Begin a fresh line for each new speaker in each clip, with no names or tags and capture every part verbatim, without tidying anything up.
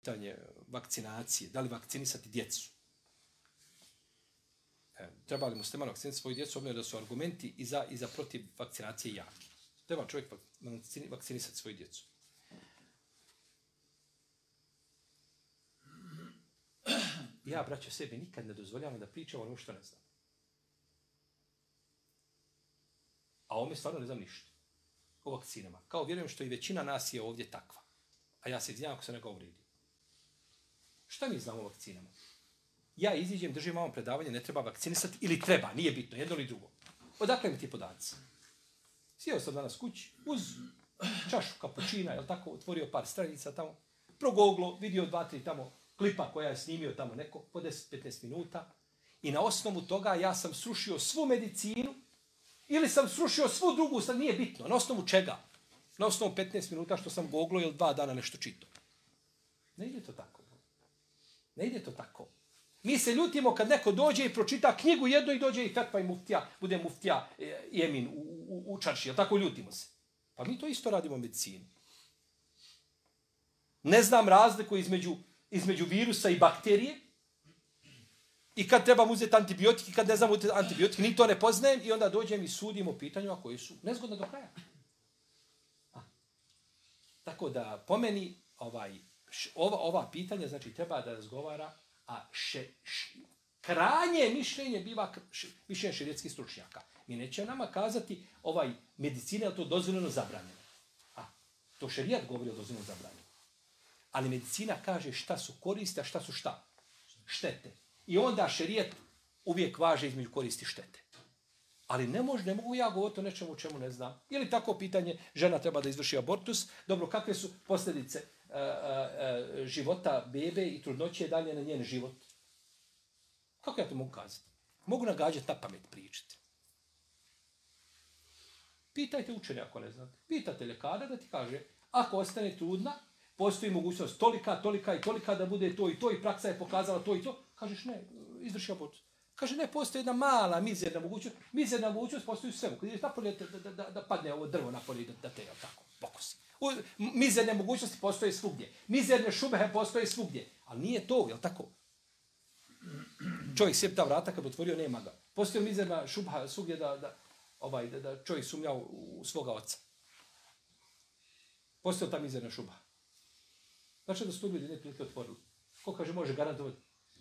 pitanje vakcinacije, da li vakcinisati djecu. E, treba li musliman vakcinisati svoju djecu, obzirom da su argumenti i za, i za protiv vakcinacije jaki. Treba čovjek vakcinisati svoju djecu. Ja, braćo, sebi nikad ne dozvoljavam da pričam o ono što ne znam. A ovome stvarno ne znam ništa. O vakcinama. Kao vjerujem što i većina nas je ovdje takva. A ja se izvinjam ako se nekao uvrijedio. Šta mi znamo o vakcinama? Ja iziđem, držim vam predavanje, ne treba vakcinisati ili treba, nije bitno, jedno ili drugo. Odakle mi ti podaci? Sjeo sam danas kući, uz čašu kapućina, jel tako, otvorio par stranica tamo, progoglo, vidio dva, tri tamo klipa koja je snimio tamo neko, po deset do petnaest minuta, i na osnovu toga ja sam srušio svu medicinu, ili sam srušio svu drugu, sad nije bitno, na osnovu čega? Na osnovu petnaest minuta što sam goglo ili dva dana nešto čitao. Ne ide to tako. Ne ide to tako. Mi se ljutimo kad neko dođe i pročita knjigu jedno i dođe i fetva i muftija, bude muftija i emin u, u, u čarši, jel tako ljutimo se? Pa mi to isto radimo u medicini. Ne znam razliku između, između virusa i bakterije i kad trebam uzeti antibiotik i kad ne znam uzeti antibiotik, ni to ne poznajem i onda dođem i sudim o pitanju a koji su nezgodne do kraja. A. Tako da po meni ovaj, š, ova, ova pitanja znači treba da razgovara, a še, š, krajnje mišljenje biva š, mišljenje šerijetskih stručnjaka. Mi neće nama kazati ovaj medicina je to dozvoljeno zabranjeno. A to šerijat govori o dozvoljeno zabranjeno. Ali medicina kaže šta su koristi, a šta su šta? Štete. I onda šerijat uvijek važe između koristi štete. Ali ne može, ne mogu ja govoriti o nečemu o čemu ne znam. Ili tako pitanje, žena treba da izvrši abortus. Dobro, kakve su posljedice uh, uh, života bebe i trudnoće dalje na njen život? Kako ja to mogu kazati? Mogu nagađati na pamet pričati. Pitajte učenja ako ne znate. Pitate ljekara da ti kaže, ako ostane trudna, postoji mogućnost tolika, tolika i tolika da bude to i to i praksa je pokazala to i to. Kažeš ne, izvrši abortus. Kaže ne, postoji jedna mala mizerna mogućnost. Mizerna mogućnost postoji u svemu. Kad ideš napolje da, da, da, da padne ovo drvo napolje da, da te, jel tako, pokosi. U, mizerne mogućnosti postoje svugdje. Mizerne šubehe postoje svugdje. Ali nije to, jel tako? Čovjek sjep ta vrata kad otvorio, nema ga. Postoji mizerna šubha svugdje da, da, ovaj, da, da čovjek sumnja u, u svoga oca. Postoji ta mizerna šubha. Znači da su to ljudi ne prilike otvorili. Ko kaže može garantovati?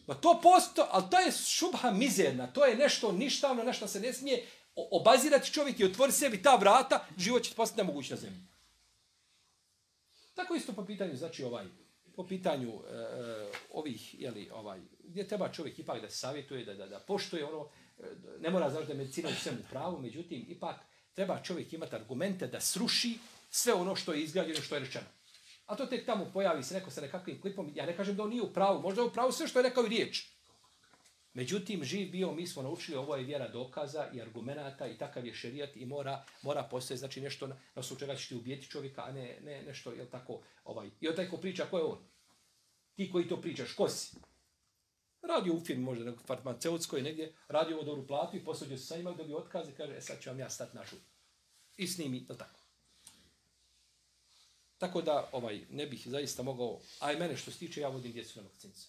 Ma to posto, ali to je šubha mizerna. To je nešto ništavno, nešto se ne smije obazirati čovjek i otvori sebi ta vrata, život će postati nemoguć na zemlji. Tako isto po pitanju, znači ovaj, po pitanju uh, ovih, jeli, ovaj, gdje treba čovjek ipak da se savjetuje, da, da, da poštuje ono, ne mora znači da je medicina u svemu pravu, međutim, ipak treba čovjek imati argumente da sruši sve ono što je izgrađeno, što je rečeno. A to tek tamo pojavi se neko sa nekakvim klipom, ja ne kažem da on nije u pravu, možda je u pravu sve što je rekao i riječ. Međutim, živ bio, mi smo naučili, ovo je vjera dokaza i argumenata i takav je šerijat i mora, mora postoje, znači nešto na, na osnovu čega će ti ubijeti čovjeka, a ne, ne nešto, jel tako, ovaj. I on taj ko priča, ko je on? Ti koji to pričaš, ko si? Radio u firmi, možda nekog farmaceutskoj negdje, radio ovo dobru platu i posluđe se sa njima, dobio otkaz i kaže, e sad ću vam ja stati našu. I snimi, jel tako? Tako da ovaj ne bih zaista mogao, a i mene što se tiče, ja vodim djecu na vakcince.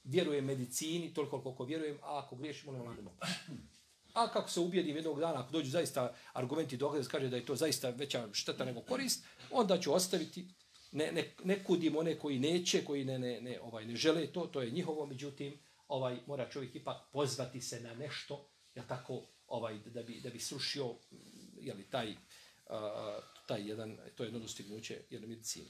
Vjerujem medicini, toliko koliko vjerujem, a ako griješimo, ne vladimo. A kako se ubijedim jednog dana, ako dođu zaista argumenti dokaze, kaže da je to zaista veća šteta nego korist, onda ću ostaviti, ne, ne, ne kudim one koji neće, koji ne, ne, ne, ovaj, ne žele to, to je njihovo, međutim, ovaj, mora čovjek ipak pozvati se na nešto, ja tako, ovaj, da, bi, da bi srušio jeli, taj, uh, taj jedan, to je jedno dostignuće jedne medicine.